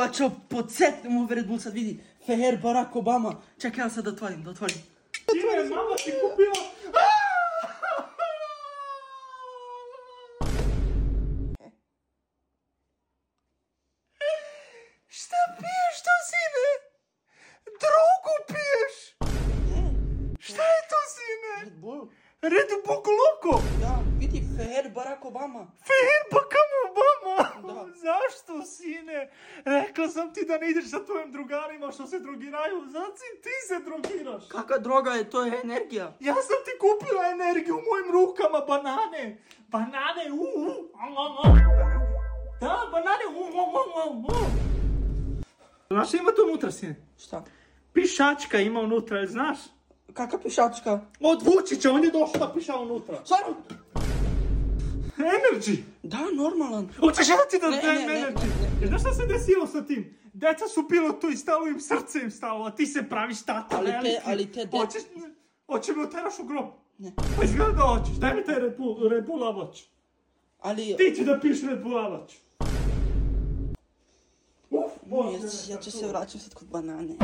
a čo, podsjetnemo ovaj Red Bull sad vidi. Fair Barack Obama. Čekaj, ja sad da otvorim. Sine, mama ti kupila... Šta piješ to, sine? Drogu piješ? Šta je to, sine? Red Bull. Red Bull Loco? Da, vidi, Fair Barack Obama. Fair Barack Obama? Da. Zašto, sine? Rekla sam ti da ne ideš sa tvojim drugarima što se drogiraju. Znači ti se drogiraš. Kakva droga je, to je energija. Ja sam ti kupila energiju u mojim rukama, banane. Banane, Da, banane, Znaš šta ima to unutra, sine? Šta? Pišačka ima unutra, jel znaš? Kakva pišačka? Od Vučića, on je došao da piša unutra. Stvarno? Energy! Da, normalan. Hoćeš ja ti da Ne, dajem ne, ne, energy? ne, ne. Znaš šta se desilo sa tim? Deca su pilo to i stalo im srce im stalo, a ti se praviš tata veliki. Ali te deca... Hoće mi oteraš u grob? Ne. Pa izgleda da hoćeš, daj mi taj Red Bullavač. Ali... Ti ću da piš Red Bullavač. Ja ću se vraćati sad kod banane.